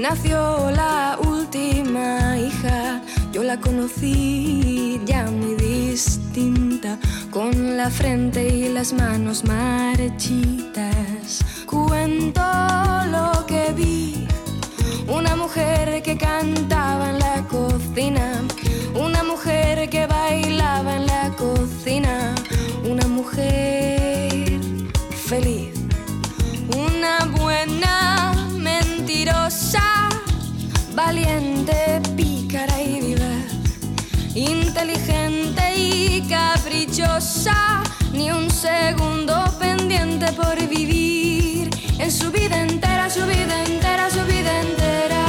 nació la última hija. Yo la conocí ya muy distinta, con la frente y las manos marchitas. Cuento lo que vi, una mujer que cantaba en la cocina, una mujer que bailaba en la cocina, una mujer feliz, una buena mentirosa, valiente, pícara y vivaz, inteligente y caprichosa, ni un segundo pendiente por vivir. En su vida entera, su vida entera, su vida entera,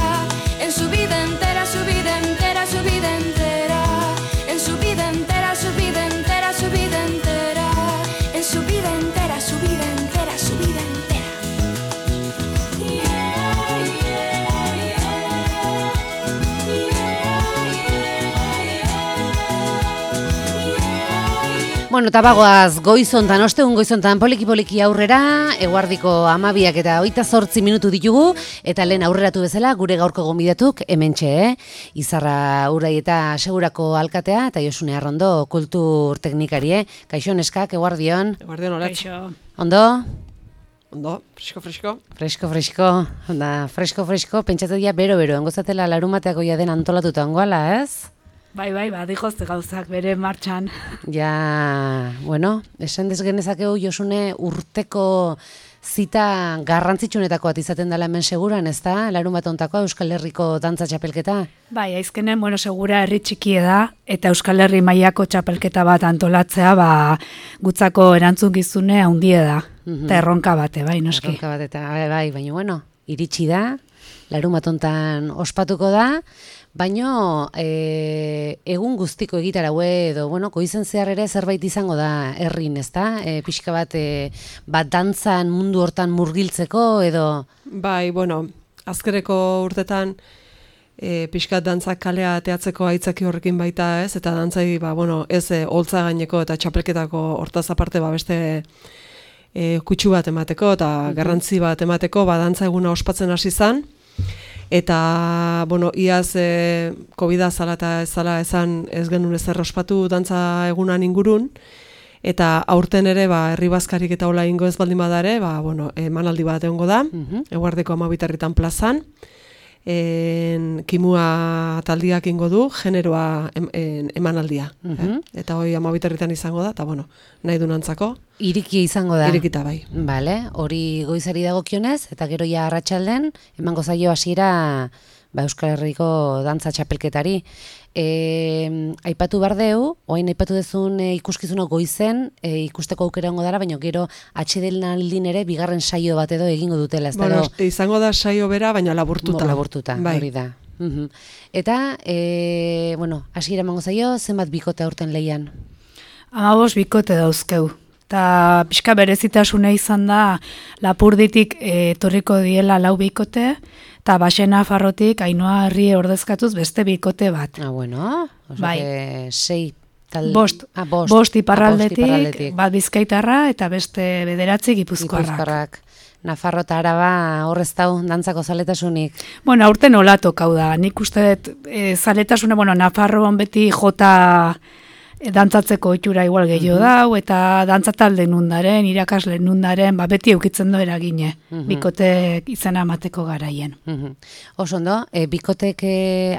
en su vida entera, su vida entera, su vida entera, en su vida entera, su vida entera, su vida entera, en su vida entera, su vida entera, su vida entera. Bueno, eta bagoaz goizontan, ostegun goizontan poliki-poliki aurrera, eguardiko 12 eta 28 minutu ditugu, eta lehen aurreratu bezala gure gaurko gonbidatuk hementxe, Izarra Urai eta Segurako alkatea, eta Josune Arrondo kultur teknikari, Kaixo neskak, eguardion. Eguardion, olatz. Kaixo. Ondo? Ondo, fresko. Fresko, pentsatzen dira bero-bero, engozatela larumateako ja den antolatuta ongoala, ez? Bai, badijozte gauzak bere martxan. Ja, bueno, esan desgenezakegu Josune urteko zita garrantzitsunetako bat izaten dela hemen seguran, ez da? Larunbat hontakoa Euskal Herriko dantza txapelketa? Bai, aizkenen, segura herri txikie da, eta Euskal Herri mailako txapelketa bat antolatzea, gutzako erantzukizune handie da. Eta erronka bate, bai, noski. Erronka bat, eta bai, baina, iritsi da, larunbat hontan ospatuko da, baino egun guztiko egitaraue edo, goizen zehar ere zerbait izango da herrin, ezta? Pixka bat dantzan mundu hortan murgiltzeko edo? Bai, azkereko urtetan pixkat dantzak kalea teatzeko aitzaki horrekin baita, ez? Eta dantzai, ez holtza gaineko eta txapelketako hortaz aparte beste kutsu bat emateko eta garrantzi bat emateko, dantza eguna ospatzen hasi zan. Eta, iaz COVID-a zala eta ez zala esan ez genuen ezer ospatu dantza egunan ingurun, eta aurten ere, herri bazkarik eta hola ingo ez baldin badare, emanaldi bat egongo da, eguardeko 12 plazan, kimua taldiak ingo du, generoa emanaldia. Eta hoi 12 izango da, eta nahi du nantzako. Irikia izango da. Irikita bai. Bale, hori goizari dagokionez, eta gero ja arratsalden emango zaio hasiera Euskal Herriko dantza txapelketari. Aipatu bardeu, oain aipatu dezun ikuskizuna goizen, ikusteko aukera ongo dara, baina gero atsedenaldin ere bigarren saio bat edo egingo dutela. Izango da saio bera, baina laburtuta. Laburtuta, hori da. Eta, hasiera emango zaio, zenbat bikote aurten lehian? 15 bikote dauzkeu. Eta pixka berezitasuna izan da, Lapurditik etorriko diela 4 bikote, eta Baxena Farrotik Ainhoa Herrie ordezkatuz beste bikote bat. Bai. 6 Bost iparraldetik, bat Bizkaitarra eta beste 9 Gipuzkoarrak. Nafarro eta Araba horrez dau dantzako zaletasunik? Aurten hola tokau da. Nik uste zaletasuna, Nafarroan beti jota dantzatzeko itxura igual gehiago dau, eta dantzatalde nundaren, irakasle nundaren, beti eukitzen do eragine, bikotek izena amateko garaien. Oso ondo, bikotek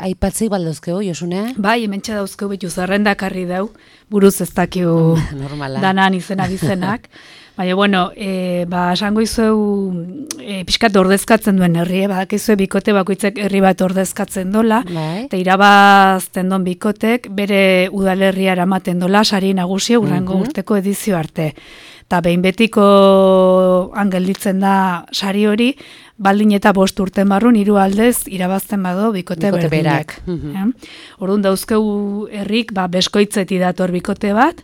aipatzik baldauzkeu, Josune? Bai, hementxe dauzkeu bitu zerrendakarri dau, buruz ez dakiu danan izena bizenak. Baina, esango izueu pixkat ordezkatzen duen herri, badakizue bikote bakoitzek herri bat ordezkatzen dola, eta irabazten don bikotek bere udalerria eramaten dola, sari nagusia urrengo urteko edizio arte. Eta behin betiko angelditzen da sari hori, baldin eta 5 urten barrun 3 aldez irabazten bado bikote berdinak. Orduan dauzkeu herrik, beskoitzeti dator bikote bat,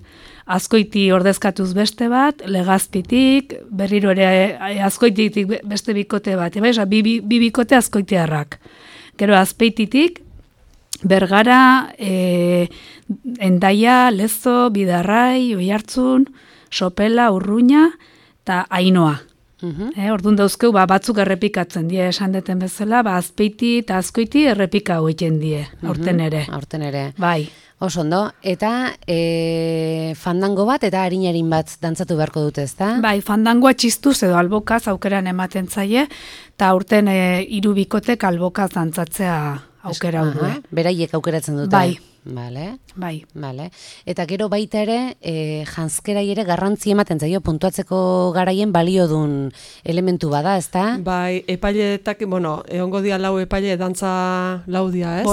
Azkoiti ordezkatuz beste bat, Legazpitik, berriro ere Azkoititik beste bikote bat, bi bikote azkoitiarrak. Gero Azpeititik, Bergara, Endaia, Lezo, Bidarrai, Oiartzun, Sopela, Urruña eta Ainhoa. Orduan dauzkeu, batzuk errepikatzen die, esan deten bezala, azpeiti eta azkoiti errepika hoiten die, aurten ere. Aurten ere. Bai. Oso ondo, eta fandango bat eta harinarin bat dantzatu beharko dute, ezta? Bai, fandangoa txistuz edo albokaz aukeran ematen zaie, eta aurten 3 bikotek albokaz dantzatzea aukera hau du. Beraiek aukeratzen dute. Bai. Bai. Eta gero baita ere, janzkerai ere garrantzi ematen zaio, puntuatzeko garaien baliodun elementu bada, ezta? Bai, epaileetak, egongo dia 4 epaile dantza laudia, ez?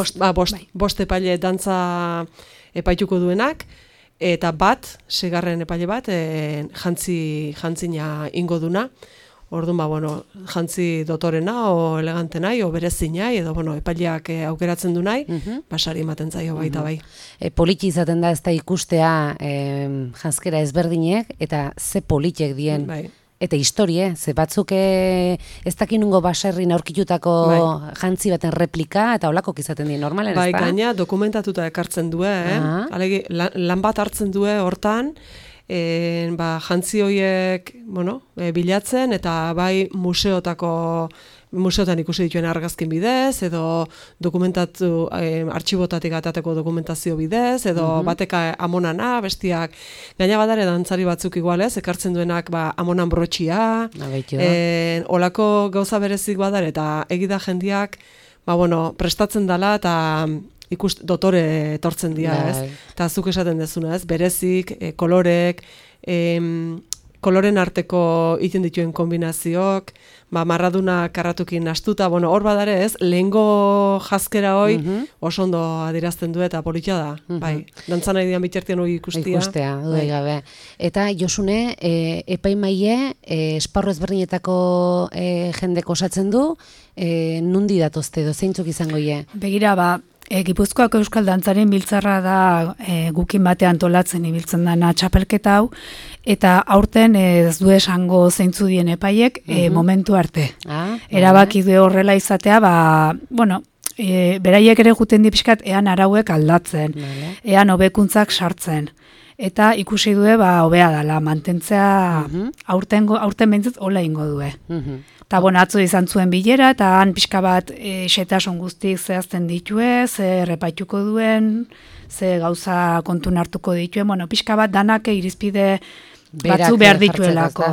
Bost epaile dantza epaituko duenak, eta 6. epaile bat, jantzina ingo duna. Orduan, jantzi dotorena, o elegante nahi, o berezi nahi, edo, epaileak aukeratzen du nahi, sari ematen zaio baita bai. Politi izaten da ez da ikustea janzkera ezberdinek, eta ze politek dien. Bai. Eta historie, ze batzuk ez dakinungo baserrin aurkitutako jantzi baten replika, eta holakok izaten dien normalen, ez da? Bai, gaina dokumentatuta ekartzen du, Alegi, lan bat hartzen du hortan, jantzi horiek bilatzen eta bai museotan ikusi dituen argazkin bidez, edo dokumentatu, artxibotatik atateko dokumentazio bidez, edo bateka amonana, bestiak, gaina badare dantzari batzuk igualez, ekartzen duenak amonan brotxia, olako gauza berezik badare, eta egida jendiak, prestatzen dela, eta dotore etortzen dira, ez? Eta zuk esaten dezuna, ez? Berezik, kolorek, koloren arteko egiten dituen kombinazioak, marraduna karratukin nastuta, hor badare, ez? Lehengo jazkera hoi oso ondo adirazten du eta politia da. Bai, dantzan nahi dian bitartean hori ikustia. Dudai gabe. Eta Josune, epaimaile, esparru ezberdinetako jendek osatzen du, nundi datozte edo, zeintzuk izango ie? Begira, Gipuzkoako Euskal Dantzaren biltzarra da gukin batean antolatzen ibiltzen dana txapelketa hau, eta aurten ez du esango zeintzu dien epaiek momentu arte. Erabaki du horrela izatea, beraiek ere juten di pixkat ean arauek aldatzen, ean hobekuntzak sartzen. Eta ikusi due, hobea dela, mantentzea aurten behintzat hola ingo due. Eta atzo izan zuen bilera, eta han pixka bat xetasun guztik zehazten ditue, ze repaituko duen, ze gauza kontun hartuko dituen, pixka bat danak irizpide batzu behar dituelako.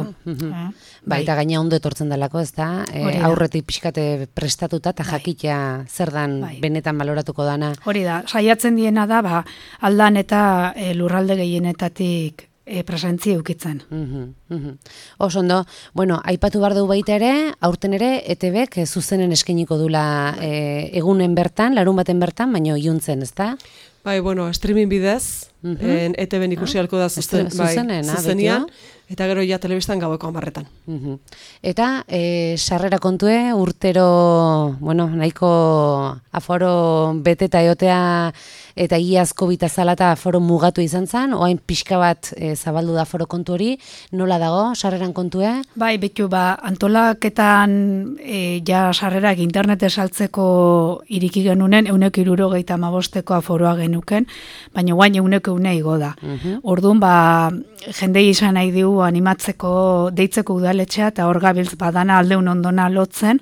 Eta gaina ondo etortzen delako, ez da? Aurretik pixkate prestatuta eta jakitea zer dan benetan baloratuko dana. Hori da, saiatzen diena da, aldan eta lurralde gehienetatik presentzia eukitzen. Oso ondo, aipatu behar dugu baita ere, aurten ere, ETBek zuzenen eskeniko dula egunen bertan, larun baten bertan, baina iluntzen, ez da? Bai, streaming bidez, ETBen ikusi halko da zuzenian, eta gero ja telebistan gaueko 10:00. Eta sarrera kontue, urtero, nahiko aforo beteta eotea eta iazko bitazala eta aforo mugatu izan zen, oain pixka bat zabaldu da aforo kontu hori, nola dago, sarreran kontue? Bai, betu, antolaketan ja sarrerak internet saltzeko iriki genunen, 175 aforoa genuken, baina guain 100 igo da. Orduan, jendei izan nahi digu animatzeko, deitzeko udaletxea, eta hor gabiltz badana aldeun ondona lotzen,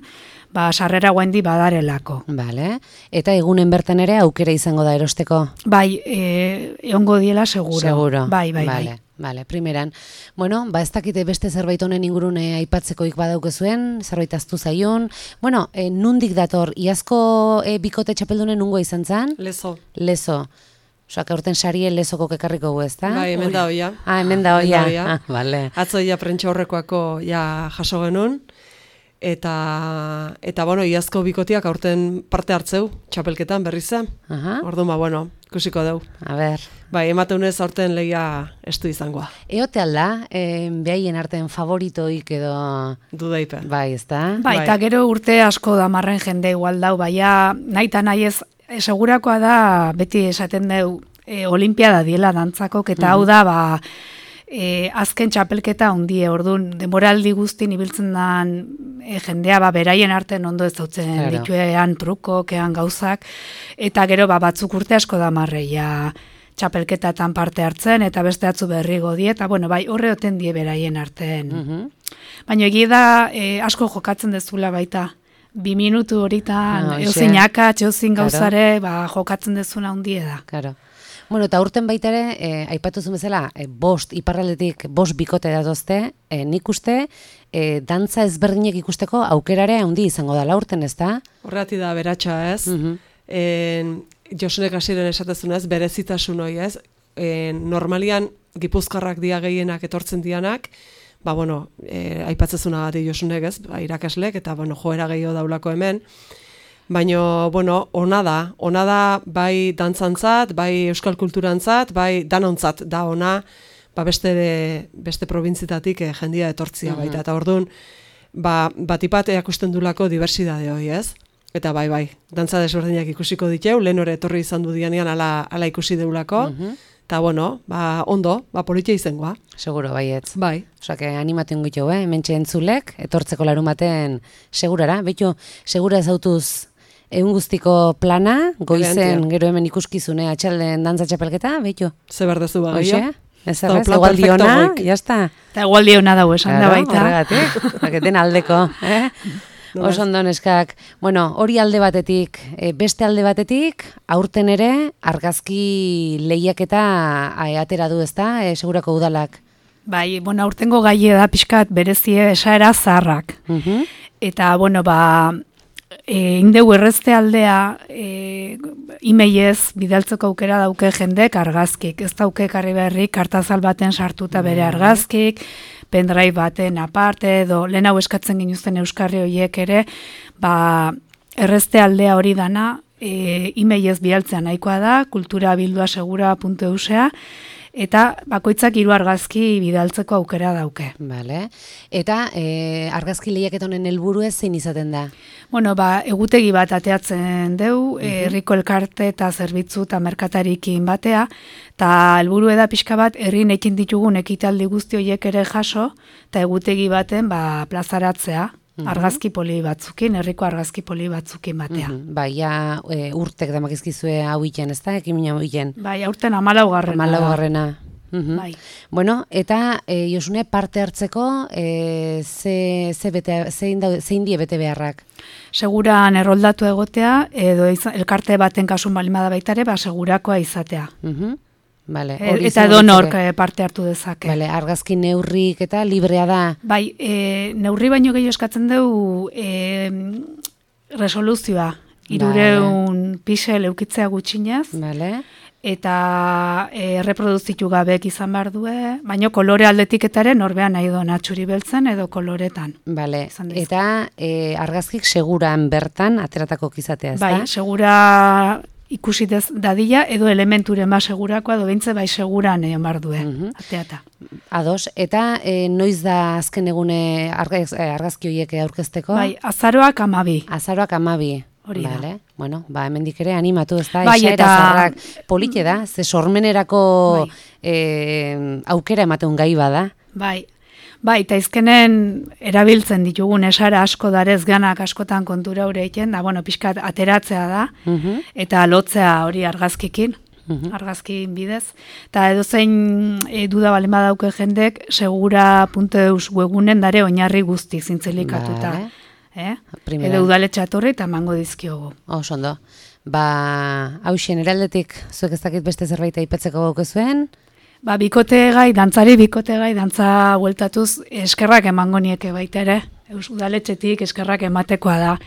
sarrera guendi badarelako. Bale, eta egunen bertan ere aukera izango da erosteko? Bai, egongo diela seguro. Seguro. Bai. Bale, primeran. Ez dakite beste zerbait honen ingurune aipatzekoik badaukezuen, zerbait aztu zaion. Nundik dator, iazko bikote txapeldunen nungo izan zen? Lezo. Osak, aurten sarie lezoko kekarriko gu, ez da? Bai, hemen da hoia. Hemen da hoia. Bale. Atzo prentsa horrekoako jaso genuen. Eta iazko bikotiak aurten parte hartzeu, txapelketan berriz zen. Orduan, ikusiko dugu. A ber. Bai, emateunez aurten lehia estu izangoa. Eote alda, behaien artean favoritoik edo... Dudaipe. Bai, ez da? Bai, eta gero urte asko damarren jende igual dau, nahi eta nahi ez, segurakoa da, beti esaten dugu, olimpiada diela dantzakok, eta hau da, azken txapelketa ondie, orduan, demoraldi guztin ibiltzen dan jendea, beraien artean ondo ez dautzen dituean trukok, ean gauzak, eta gero batzuk urte asko damarreia txapelketatan parte hartzen, eta beste atzu berrigo die, eta bueno, bai, horre oten die beraien artean. Baina egi da, asko jokatzen dezula baita. 2 minutu horitan, eozin akatz, eozin gauzare, jokatzen dezuna hundie da. Claro. Bueno, eta urten baita ere, aipatu zuen bezala, iparraldetik 5 bikote datozte, nik uste, dantza ezberdinek ikusteko aukerare handi izango dela urten, ez da? Horregatik da beratxa, ez? Josunek hasieren esatezunez, berezitasun hori, ez? Normalian, gipuzkarrak dia gehienak etortzen dianak, aipatzezuna gati Josunek, ez? Irakaslek, eta, joera gehiago daulako hemen. Baina, ona da bai dantzantzat, bai euskal kulturantzat, bai danontzat da ona, beste probintzitatik jendia etortzia baita. Eta orduan, batipat eakusten dulako diversidade hori, ez? Eta bai, dantza desberdinak ikusiko diteu, lehen hori etorri izan du dianean ala ikusi deulako, eta ondo, politia izangoa. Seguro, baietz. Bai. Osa, animatu ingitu, hementxe entzulek, etortzeko larumaten segurara. Betu, segura ezautuz egun guztiko plana, goizen gero hemen ikuskizune atxalden dantza txapelketa, betu? Ze berdezu bagia. Ez errez, egualdiona, jazta. Eta egualdiona dago esan da baita. Horregatik, baketen aldeko. Oso ondo neskak. Hori alde batetik, beste alde batetik, aurten ere, argazki lehiaketa atera du, ezta, segurako udalak. Bai, aurtengo gaie da pixkat berezie esaera zaharrak. Eta, indegu errezte aldea imeiez bidaltzeko aukera dauke jendek argazkik. Ez dauke karri berri kartazal baten sartuta bere argazkik, pendrive baten aparte, edo lehen hau eskatzen ginuzten euskarri horiek ere, errezte aldea hori dana imeiez bidaltzea nahikoa da, kulturabildua.segura.eusea, eta bakoitzak 3 argazki bidaltzeko aukera dauke. Vale. Eta argazki lehiaketa honen helburu ez zein izaten da? Egutegi bat ateatzen deu, herriko elkarte eta zerbitzu eta merkatarikin batea, eta helburu da pixka bat herrin ekin ditugun ekitaldi guzti horiek ere jaso, eta egutegi baten plazaratzea. Argazki poli batzukin, herriko argazki poli batzukin batea. Ja, urtek damakizkizue hau iten, ez da? Ekimina hau iten. Bai, aurten 14garrena. 14garrena. Bai. Eta Josune parte hartzeko zein die bete beharrak? Seguran erroldatu egotea, edo elkarte baten kasun balimada baitare, segurakoa izatea. Vale, eta donork parte hartu dezake. Vale, argazki neurrik eta librea da. Bai, neurri baino gehiago eskatzen dugu resoluzioa. 300 pixel eukitzea gutxinez. Vale. Eta erreproduzitu gabeek izan behar du, baino kolore aldetik etaren norbean nahi doa txuri beltzen edo koloretan. Vale. Eta argazkik seguran bertan ateratako kizatea, ez da? Bai, segura ikusi dadila, edo elementuren segurakoa, edo bintze seguran behar du, ateata. Ados, eta noiz da azken egune argazki horiek aurkezteko? Bai, azaroak 12. Azaroak 12. Hori da. Vale. Hemendik ere animatu, ez da, esaera zarrak polite da, ze sormenerako aukera ematen gai bada. Bai, eta izkenen erabiltzen ditugun esara asko darez ganak askotan kontura hori egiten, da, pixkat ateratzea da, eta lotzea hori argazkikin, argazkin bidez. Eta edozein duda balen badauke jendek, segura.eus webunen dare oinarri guzti zintzelikatuta. Edo udaletxe atorri eta mango dizkiogu. Oso ondo. Hauxen, eraldetik, zuek ez dakit beste zerbait aipatzeko gaukezuen? Bikote gai, dantza bueltatuz, eskerrak emango nieke baita ere. Udaletxetik eskerrak ematekoa da.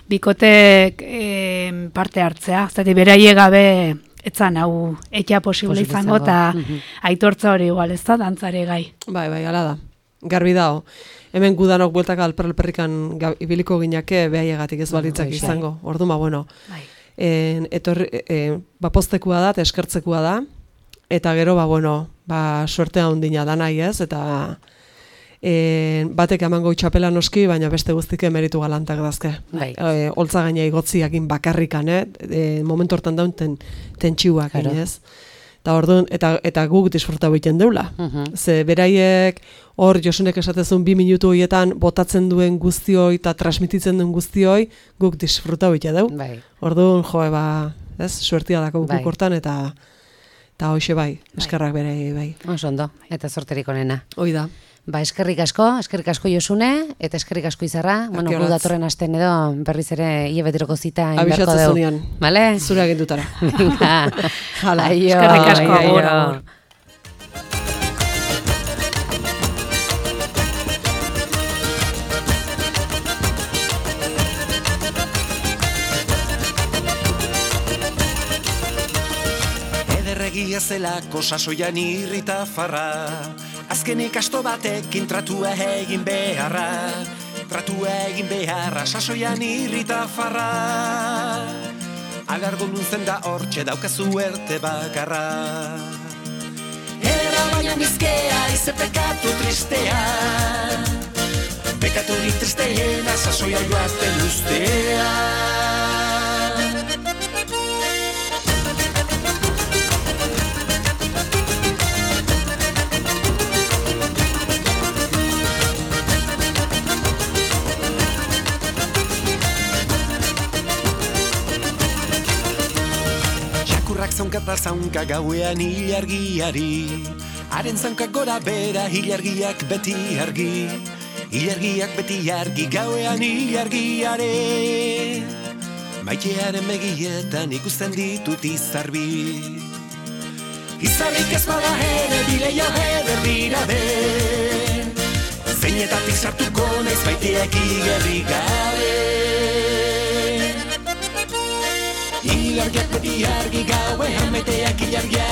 Bikotek parte hartzea. Zati beraie gabe etzan hau ekia posible izango eta aitortza hori igual, ez da, dantzare gai. Bai, ala da. Garbi dao. Hemen gudanok bueltak alperrikan ibiliko gineake behaiegatik ez balitzak izango. Orduan, poztekua da, eskertzekua da, eta gero, suertea ondina da nahi ez, eta batek emango txapela noski, baina beste guztik emeritu galantak dazke. Holtza gaina igotziakin bakarrikan, momentu hortan daun tentxiuak, ez? Eta guk disfrutau egiten deula. Ze beraiek hor Josunek esatezun 2 minutu horietan botatzen duen guztioi eta transmititzen duen guztioi guk disfrutau egiten deu. Orduan, suertia dako guk hortan eta Eta hoxe bai, eskerrak bere bai. Oso ondo, eta zorterik onena. Hoi da. Ba, eskerrik asko Josune, eta eskerrik asko Izarra. Bueno, gu datorren asten edo berriz ere hilebeteroko zita inberko deu. Abixatzen Vale? Zure agindutara. Hala, eskerrik asko, agur. Egia zelako sasoian irrita farra, azkenik asto batekin tratua egin beharra, sasoian irrita farra. Alargo nuntzen da hortxe daukazu erte bakarra. Era baina bizkea ize pekatu tristea, pekaturik tristeena sasoia joaten ustea. Zaunkata zaunka gauean ilargiari, haren zaunkak gora bera ilargiak beti argi, gauean ilargiare. Maitearen begietan ikusten ditut izarbi, izarrik ez bada ere bileio eder dira den, zeinetatik sartuko naiz maiteak igerri gabe. Ilargiak beti argi gauean maiteak ilargiak